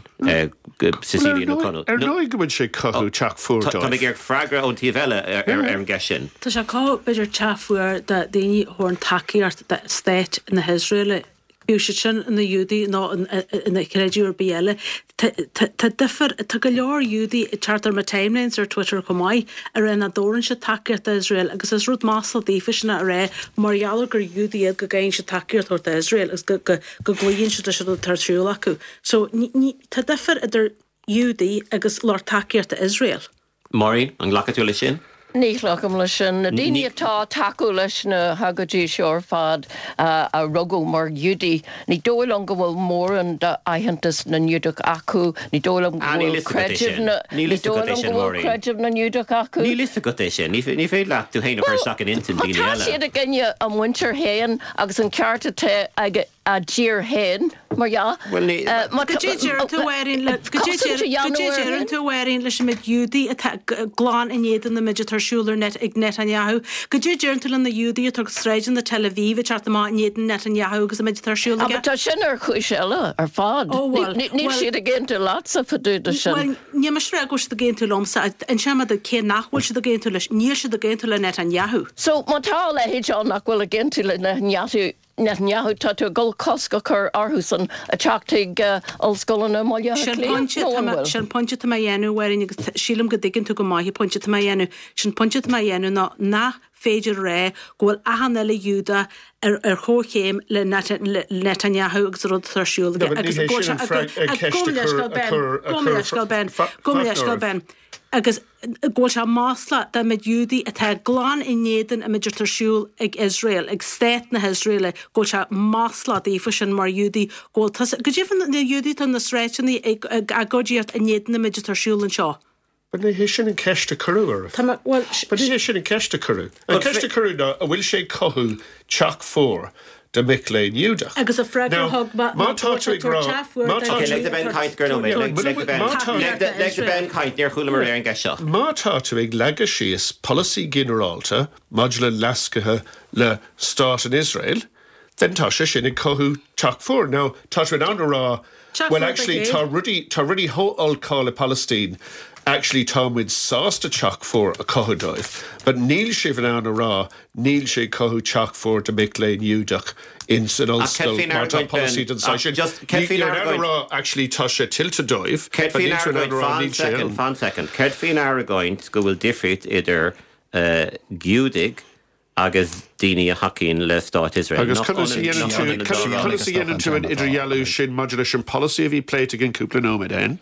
Cecilia nó Conall. Ar ndóigh go bhfuil sé cothú teach fuar Tá mé ag iarraidh freagra ón taobh eile ar an gceist sin. Tá sé cá b'fhéidir teach fuar do daoine a thugann tacaíocht do stát na hIosrael. Bíodh siad sin ina Giúdaigh nó ina creideamh ar bith eile. Tá difear tá go leor Giúdaigh teacht ar mo timelines ar Twitter chomh maith a rá nach dtabharann siad tacaíocht d'Iosrael agus is rud masla daofa sin a rá mar gheall gur Giúdaigh iad go gcaithfidh siad tacaíocht a thabhairt d'Iosrael agus go go gcloíonn siad leis an ar siúl acu. So tá difear idir Giúdaigh agus lucht tacaíochta Iosrael. Maureen, an nglacfaidh tú leis sin? Ní ghlacaim leis sin. Na daoine atá ag tacú leis na hagóidí seo ar fad a rugadh mar Ghiúdaigh, ní dóigh liom go bhfuil mórán d'aitheantas na nGiúdach acu, ní dóigh liom go bhfuil creideamh na, ní dóigh liom go bhfuil creideamh na nGiúdach acu. Níl fhios agat é sin. Ní féidir leat tú féin a chur isteach in intinn daoine eile. Má tá siad i gcoinne a muintir féin agus an ceart atá ag a dtír féin, mar dhea. Bhuel, ní. Cad é deireann tú, a Mháirín, le, cad é cad é deireann tú, a Mháirín, leis an méid Giúdaí atá glan in éadan na méid atá ar siúl ar net, ag Netanyahu? Cad é deireann tú le na Giúdaí atá ag sráideanna Tel Aviv ag teacht amach in éadan Netanyahu agus an méid atá ar siúl aige? But tá sin ar chúis eile ar fad. Ó, bhuel, Níl siad ag aontú leatsa fá dtaobh de sin. Bhuel, níl mise ag rá go bhfuil siad ag aontú liomsa. Inseoidh mé duit cé nach bhfuil siad ag aontú leis. Níl siad ag aontú le Netanyahu. So, má tá a leithéid ann nach bhfuil ag aontú le Netanyahu, Netanyahu, tá tú ag dul cosc a chur orthusan a teacht chuig ollscoileanna i mBaile Átha Cliath, nó an bhfuil? Sin pointe atá mé a dhéanamh, a Mháirín, agus sílim go dtuigeann tú go maith an pointe atá mé a dhéanamh. Sin pointe atá mé a dhéanamh ná nach féidir a rá go bhfuil achan uile Ghiúdach ar ar chomhchéim le Netanyahu agus an rud atá ar siúl aige agus go bhfuil sé Gabh mo leithscéal Ben, gabh mo leithscéal Ben, gabh mo leithscéal Ben. Agus go bhfuil sé maslach don méid Giúdaí atá glan in éadan an méid atá ar siúl ag Iosrael, ag stát na hIosraeile, go bhfuil sé maslach daofa sin mar Ghiúdaí, go bhfuil tusa, go deimhin na Giúdaí atá na sráideanna ag ag agóidíocht in éadan an méid atá ar siúl anseo. But ní hé sin an ceist a cuireadh oraibh. Tá mé, bhuel, But ní hé sin an ceist a cuireadh. An ceist a cuireadh ná an bhfuil sé ag cothú teach fuar do mhic léinn Ghiúdach. Agus an freagra a thug mé ná go bhfuil sé ag tabhairt teach fuar do Ok, lig do Ben caint go nóiméad. Lig do Ben, lig do Ben caint, níor chualamar ar an gceist seo. Má tá tú ag leagadh síos polasaí ginearálta maidir le nasctha le stát an Iosrael, then tá sé sin ag cothú teach fuar. Now, tá tú in ann a rá, well actually tá rudaí, tá rudaí chomh olc thall i Palaistín, actually tá muid sásta teach fuar a chothú dóibh, but níl sibh in ann a rá níl sé ag cothú teach fuar do mic léinn Giúdach in san ollscoil má tá polasaí den saghas sin. Níl in ann a rá actually tá sé tuillte dóibh, but níl tú in ann a rá níl sé ann. Fan second. Céard faoin argóint go bhfuil difríocht idir Giúdaigh agus daoine a thacaíonn le Stát Iosrael. Agus conas a dhéanann tú, conas a dhéanann tú an idirdhealú sin maidir leis an polasaí a bhí pléite againn cúpla nóiméad ó shin,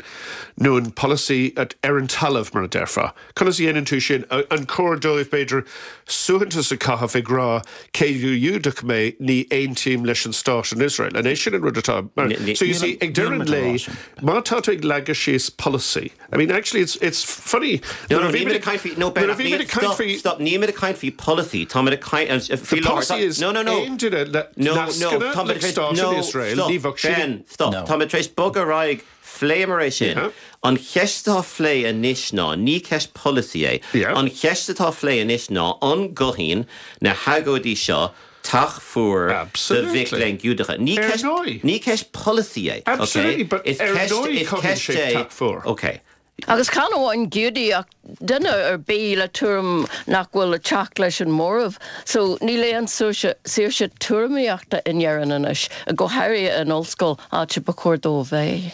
nó an polasaí ar an talamh, mar a déarfá? Conas a dhéanann tú sin? An cóir dóibh, b'fhéidir, suaitheantas a chaitheamh ag rá, cé gur Giúdach mé, ní aontaím leis an Stát in Iosrael? An é sin an rud atá, mar, so you see, ag deireadh an lae, má tá tú ag leagadh síos polasaí, I mean, actually, it's, it's funny. No, no, níl muid ag caint faoi, no, Ben, stop, stop, níl muid ag caint faoi polasaí, tá muid ag caint, The policy is no, no, no, aon duine le no, no, nascanna tá le muid tar éis, stát no, in Iosrael, stop, ní bheadh sin Ben, stop, No. tá muid tar éis bogadh ar aghaidh, phléamar é sin. Yeah. An cheist atá á phlé anois ná, ní ceist polasaí é, Yeah. an cheist atá á phlé anois ná an gcothaíonn na hagóidí seo teach fuar do mhic Absolutely. léinn Giúdacha. Ní Ar ceist, ndóigh. ní ceist polasaí é, okay? Absolutely, but Is ar ceist, ndóigh is cothaíonn ceist sé é, teach fuar. okay. Agus chan amháin Giúdaigh ach duine ar bith le tuairim nach bhfuil ag teacht leis an móramh. So níl aon saoirse saoirse tuairimíochta in Éirinn anois, go háirithe in ollscoil, áit a ba chóir dó a bheith.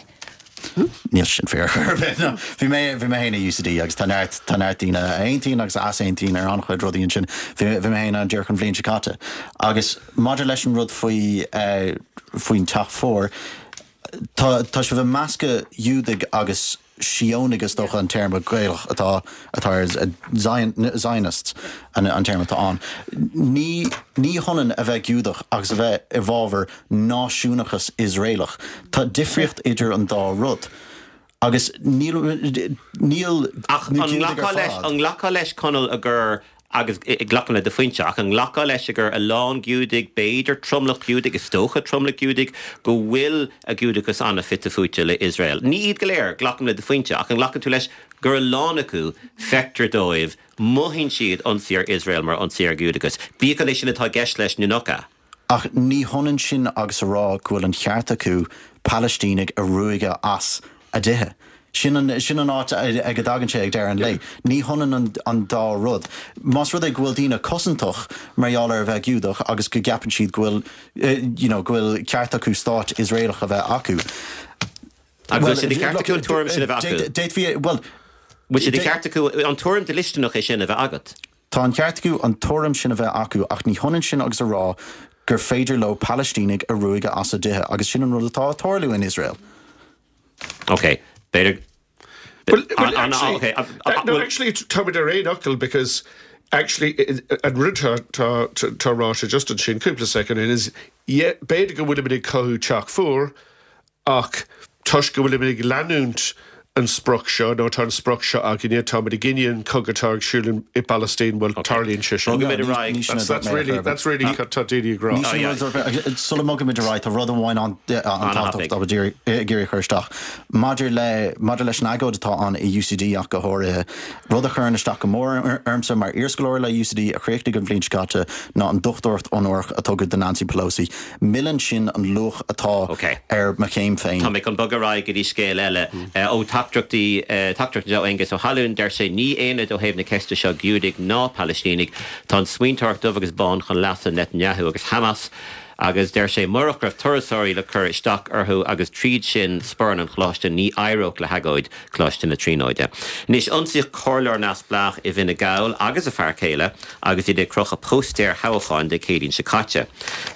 Níl sin fíor ar bith. No. Bhí mé bhí mé féin i UCD agus tá neart tá neart daoine a aontaíonn agus a easaontaíonn ar an-chuid rudaí ansin. Bhí bhí mé féin ann díreach an bhliain seo caite. Agus maidir leis an rud faoi eh, faoin teach fuar, tá tá sibh ag meascadh Giúdaigh agus Síónaigh is dócha an téarma Gaelach atá atá ar Zion, Zionists an, an téarma atá ann. Ní ní hionann a bheith Giúdach agus a bheith i bhfabhar náisiúnachas Iosraelach. Tá difríocht idir an dá rud. Agus níl níl Ach na an Giúdaigh ar nglacfá leis fad. an nglacfá leis Conall a gur agus glacaim le do phointe ach an nglacfá leis gur a lán Giúdaigh b'fhéidir tromlach Giúdaigh is dócha tromlach Giúdaigh go bhfuil a Giúdachas an-fhite fuaite le Iosrael. Ní iad go léir glacaim le do phointe ach an nglacann tú leis gur a lán acu feictear dóibh mothaíonn siad ionsaí ar Iosrael mar ionsaí ar Giúdachas. Bíodh an é sin atá i gceist leis nó nach ea. Ach ní hionann sin agus a rá go bhfuil an ceart acu Palaistínigh a ruaigeadh as a dtithe. Sin an, sin an áit ag a dtagann sé ag deireadh an lae. Ní hionann an, an dá rud. Más rud é go bhfuil daoine cosantach mar gheall ar a bheith Giúdach agus go gceapann siad go bhfuil eh, you know, go bhfuil ceart acu stát Iosraelach a bheith acu. Agus bhfuil sé de cheart acu an tuairim sin a bheith acu? D'fhéadfaí well Bhfuil sé de cheart acu an tuairim dlisteanach é sin a bheith agat? Tá an ceart acu an tuairim sin a bheith acu ach ní hionann sin agus a rá gur féidir leo Palaistínigh a ruaigeadh as a dtithe agus sin an rud atá ag tarlú in Iosrael. Ok, b'fhéidir Well, well, actually, okay, no, actually, tá ar aon fhocal because actually an rud tá ráite just ansin cúpla second in is b'fhéidir go bhfuilimid ag cothú teach fuar ach toisc go bhfuilimid ag leanúint an sprioc seo nó tá an sprioc seo againne tá i gcoinne an cogadh atá ar siúl i bPalaistín bhfuil tarlaíonn sé sin. That's really that's really tá daoine ag rá. Sula mbogaimid ar aghaidh tá rud amháin an-tábhachtach ag iarraidh chur isteach. Maidir le maidir leis an agóid atá ann i UCD ach go háirithe. Rud a chuireann isteach go mór ormsa mar iarscoláire le UCD a chríochnaigh an bhliain seo caite ná an dochtúireacht onórach a tugadh do Nancy Pelosi. Milleann sin an luach atá ar mo chéim féin. Tá mé chun bogadh ar aghaidh go dtí scéal eile ó teachtaireachtaí teachtaireacht ó Aengus Ó hAlún deir sé ní aonad ó thaobh na ceiste seo Giúdaigh ná Palaistínigh tá an smaointeoireacht dubh agus bán chun leasa Netanyahu agus Hamas agus deir sé murach raibh turasóirí le cur isteach orthu agus tríd sin spóran an choláiste ní éireodh le hagóid Choláiste na Tríonóide. Anois ionsaíodh comhairleoir neamhspleách i bhFine Gall agus a fear céile agus iad ag crochadh póstaer toghcháin Dé Céadaoin seo caite.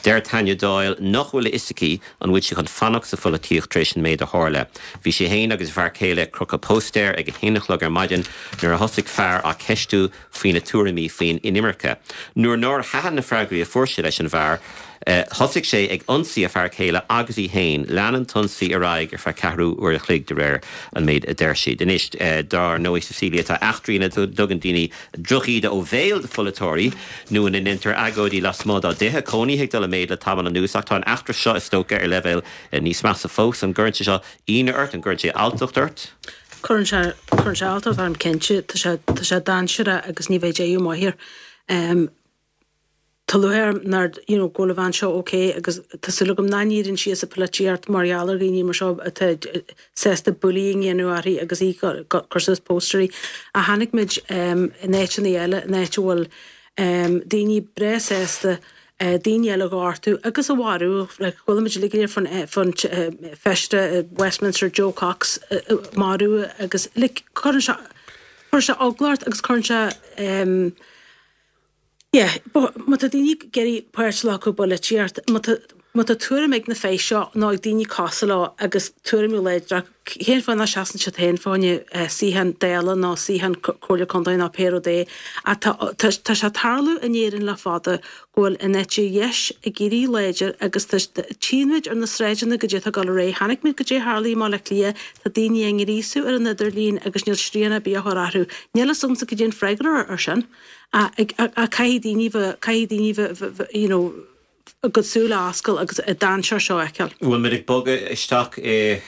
Deir Tanya Doyle nach bhfuil a fhios aici an bhfuil sí chun fanacht sa pholaitíocht tar éis an méid a tharla. Bhí sí féin agus a fear céile ag crochadh póstaer ag a haon a chlog ar maidin nuair a thosaigh fear á ceistiú faoina tuairimí faoin inimirce. Nuair nár thaitin na freagraí a fuair sé leis an bhfear, Uh, thosaigh sé ag ionsaí a fear céile agus í féin lean an t-ionsaí ar aghaidh ar feadh ceathrú uair a chloig de réir an méid a deir siad. Anois uh, dar ndóigh Cecilia tá eachtraí ina dtugann daoine drochíde ó bhéal do pholaiteoirí nó ina ndéantar agóidí lasmuigh dá dtithe cónaithe ag dul i méid le tamall anuas ach tá an eachtra seo is dócha ar leibhéal uh, níos measa fós an gcuireann sé seo ionadh ort an gcuireann sé alltacht ort. Cuireann sé cuireann sé alltacht orm cinnte tá sé tá sé dainséarach agus ní bheidh deireadh maith air. Um, Tá lúcháir orm you know, go bhfuil an bhean seo ok agus tá súil agam nach n-éiríonn sí as an bpolaitíocht mar gheall ar dhaoine mar seo atá sásta bullying a dhéanamh uirthi agus í cur suas póstairí a tháinig muid um, in áiteanna eile in áit a bhfuil um, daoine breá sásta uh, daoine eile a ghortú agus a mharú like, bhfuil muid le fan fan feisire Westminster Jo Cox uh, marú agus like, cuireann sé cuireann sé eagla ort agus cuireann sé um, Yeah, má tá daoine ag iarraidh páirt a ghlacadh i bpolaitíocht, má tá tuairim ag na fir seo nó ag daoine cosúil leo agus tuairim láidir cén fáth nach seasann siad féin fá choinne suíochán Dála nó suíochán Comhairle Contae nó pé rud é tá sé tarlú in Éirinn le fada go bhfuil an eite dheis ag éirí láidir agus tchímid ar na sráideanna go dtí go ré tháinig muid go dtí tharlaí má le lia tá daoine ag gríosú ar an idirlíon agus níl srian ar bith á chur orthu. Níl a fhios agamsa cad é an freagra ar sin. A caithfidh daoine caithfidh daoine you know, a gcuid súl a oscailt agus an dainséar seo a fheiceáil. Bhfuil muid ag bogadh isteach i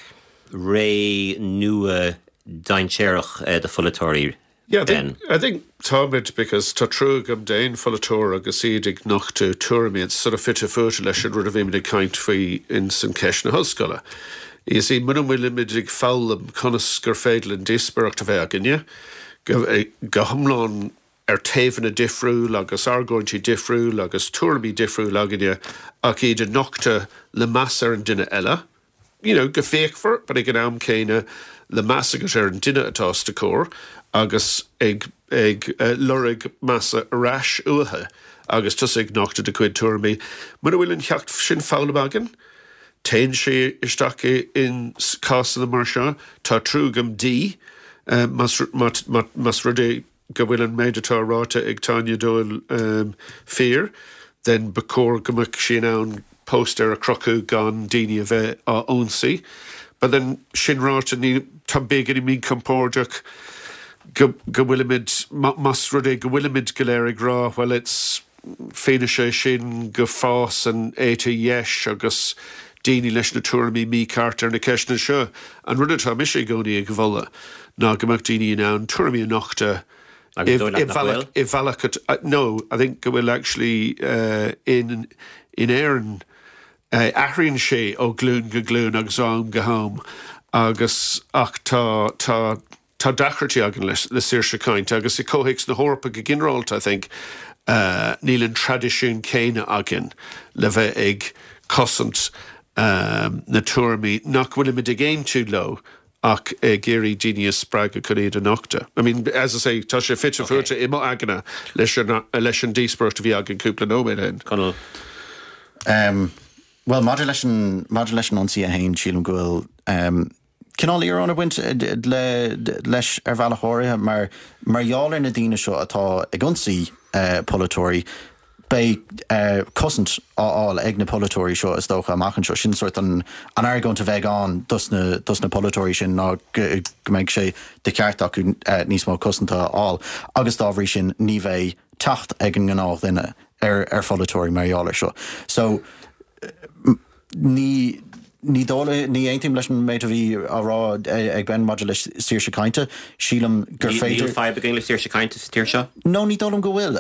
ré nua dainséarach do pholaiteoirí. Yeah, I think, I think táimid because tá trua agam d'aon pholaiteoir agus iad ag nochtadh tuairimí sort of fite fuaite leis an rud a bhí ag caint faoi in san ceist na hollscoile. Is í muna bhfuilimid ag foghlaim conas gur féidir an díospóireacht a bheith againne, go, go hiomlán ar taobhanna difriúil agus argóintí difriúil agus tuairimí difriúil againne ach iad a nochtadh le meas ar an duine eile. You know, go féachfar, but ag an am céanna le meas agat ar an duine atá os do chomhair agus ag, ag uh, lorg measa ar ais uathu agus tusa ag nochtadh do chuid tuairimí. Muna bhfuil an ceacht sin foghlamtha againn, Téann sé isteach in cásanna mar seo, tá trua agam di uh, más rud é go bhfuil an méid atá ráite ag Tanya Doyle um, fíor, then ba chóir go mbeadh sí in ann póstaer a chrochadh gan daoine a bheith á ionsaí. But then sin ráite ní tá beagáinín míchompordach go go bhfuilimid más rud é go bhfuilimid go léir ag rá well it's fianaise sin go bhfásann an eite dheis agus daoine leis na tuairimí mícheart ar na ceisteanna seo. An rud atá mise i gcónaí ag moladh ná go mbeadh daoine in ann tuairimí a nochtadh Agus dóigh leat nach bhfuil? i bhealach uh, no, I think go bhfuil actually uh, in in Éirinn uh, athraíonn sé ó glún go glún agus am go ham agus ach tá tá tá deacrachtaí againn le, le saoirse cainte agus i gcomhthéacs na hEorpa go ginearálta I think uh, níl an traidisiún céanna againn le bheith ag cosaint um, na tuairimí nach bhfuilimid ag aontú leo ach ag iarraidh daoine a spreagadh chun iad a nochtadh. I mean, as I say, tá sé fite fuaite i mo aigne leis an leis an díospóireacht a bhí againn cúpla nóiméad ó shin. Conall. Um, well, maidir leis an maidir leis an ionsaí a haon sílim go bhfuil um, cineál íoróin ag baint le leis ar bhealach áirithe mar mar gheall ar na daoine seo atá ag ionsaí polaiteoirí, beidh cosaint á fháil ag na polaiteoirí seo is dócha amach anseo. Sin sórt an an argóint a bheidh ann dos na dos na polaiteoirí sin ná go go mbeidh sé de cheart acu níos mó cosanta a fháil agus dá bhrí sin ní bheidh teacht ag an ngnáthdhuine ar ar pholaiteoirí mar gheall air seo. So ní ní dóigh ní aontaím leis an méid a bhí á rá ag Ben maidir le saoirse cainte. Sílim gur féidir. Níl fadhb againn le saoirse cainte sa tír seo? No, ní dóigh liom go bhfuil.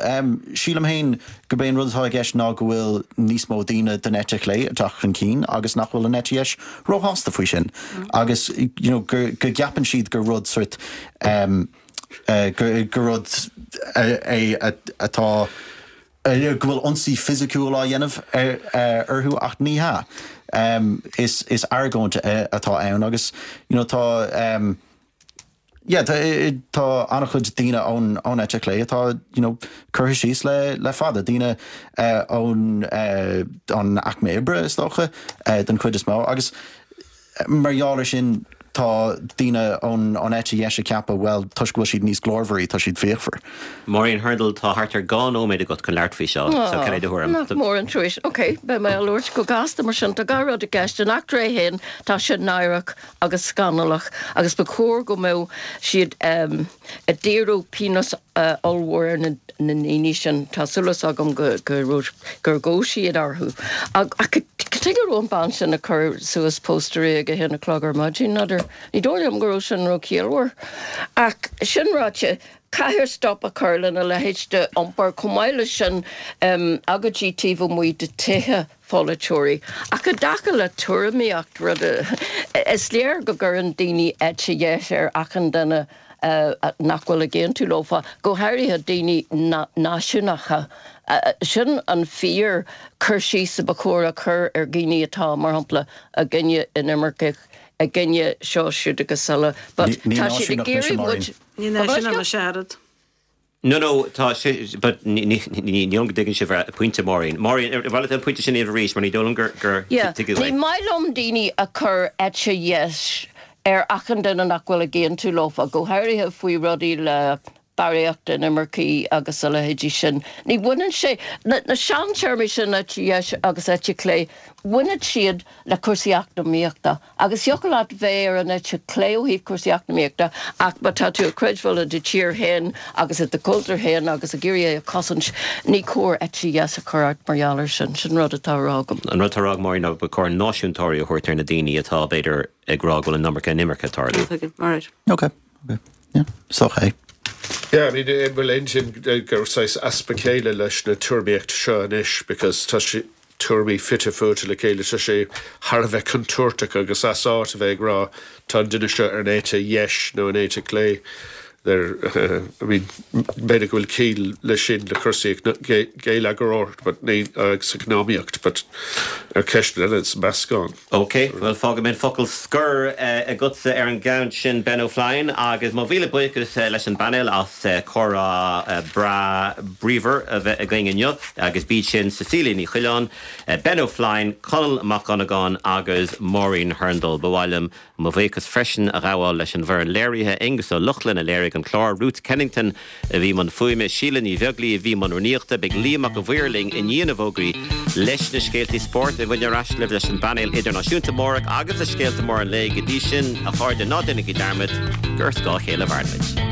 Sílim féin gurb é an rud atá i gceist ná go bhfuil níos mó daoine den eite chlé ag teacht chun cinn agus nach bhfuil an eite dheis róshásta faoi sin. Agus you know go go gceapann siad gur rud sort um, uh, gur, gur rud é atá go bhfuil ionsaí fisiciúil á dhéanamh orthu ach ní hea. Um, is, is argóint atá ann agus you know, tá um, yeah, tá, tá an-chuid daoine ón ón eite chlé atá you know, curtha síos le, le fada daoine uh, ón uh, an aicme oibre is dócha uh, den chuid is mó agus mar gheall air sin tá daoine ón ón eite dheis ag ceapadh well toisc go bhfuil siad níos glórmharí tá siad fíochmhar. Maureen Hurndall tá thart ar dhá nóiméad agat chun labhairt faoi seo so cad é do thuairim? Nach mór an trua. Ok, beidh mé ag labhairt go gasta mar sin tá dhá rud i gceist an eachtra é féin tá sé náireach agus scannalach agus ba chóir go mbeadh siad um, ag díriú pionós uh, ollmhór ar na na ndaoine sin tá súil agam go go gur ghabh siad orthu. Ach cad go raibh an bhean sin ag cur suas póstaerí ag a haon a chlog ar maidin n'fheadar ní dóigh liom go raibh sin róchiallmhar. Ach sin ráite caithfear stop a chur lena leithéid de iompar chomh maith leis sin um, agóidí taobh amuigh de tithe polaiteoirí. Ach i dtaca le tuairimíocht rud is léir go gcuireann daoine eite dheis ar achan duine uh, nach bhfuil ag aontú leofa, go háirithe daoine náisiúnacha. Uh, sin an fíor cur síos a ba chóir a chur ar dhaoine atá mar shampla i gcoinne inimirce i gcoinne seo siúd agus eile. But tá siad ag iarraidh muid Ní náisiúnach searad. No, no, tá sé, but ní ní go dtuigeann sibh pointe Maureen. Maureen, bhfuil an pointe sin arís mar ní dóigh liom gur gur Yeah, ní maith liom daoine a chur eite dheis ar achan duine nach bhfuil ag aontú leofa, go háirithe faoi rudaí le barraíocht inimirce agus a leithéidí sin. Ní bhaineann sé na, na seantéarmaí sin eite dheis agus eite chlé, bhaineann siad le cúrsaí eacnamaíochta. Agus thiocfadh leat bheith ar an eite chlé ó thaobh cúrsaí eacnamaíochta ach má tá tú ag creidbheáil i do tír féin agus i do chultúr féin agus ag iarraidh é a chosaint, ní cóir eite dheis a chur ort mar gheall air sin, sin rud atá á rá agam. An rud atá á rá ag Maureen ná ba chóir náisiúntóirí a thabhairt ar na daoine atá b'fhéidir ag rá go bhfuil an iomarca inimirce ag tarlú. All right. Okay, okay. Yeah, is okay. Yeah, I mean, bhfuil aon gur saghas easpa céille leis na tuairimíocht seo anois, because tá sé tuairimí fite fuaite le chéile tá sé thar a bheith contúirteach agus as áit a bheith ag rá tá an duine seo ar an eite dheis nó an eite chlé. There, uh, I mean, b'fhéidir go bhfuil ciall leis sin le cúrsaí geilleagair, but ní agus eacnamaíocht, but ar ceist eile is meascán. Ok, well fágfaidh mé focal scoir agatsa ar an gceann sin Ben O'Flynn agus mo mhíle buíochas leis an bpainéal as comhrá breá bríomhar a bheith againn inniu agus b'iad sin Cecilia Ní Choileáin, Ben O'Flynn, Conall Mac Dhonnagáin agus Maureen Hurndall ba mhaith liom mo bhuíochas freisin a ghabháil leis an bhfoireann léirithe Aengus Ó Lochlainn a léirigh an clár Ruth Kennington a bhí i mbun fuaime Síle Ní Bheaglaoí a bhí i mbun rúnaíochta beidh Liam Mac an Mhaoir linn i ndiaidh na bhfógraí leis na scéaltaí spóirt a bhain ar ais libh leis an bpainéal idirnáisiúnta amárach agus le scéalta móra an lae go dtí sin a chairde ná déanaigí dearmad gur ar scáth a chéile a mhairimid.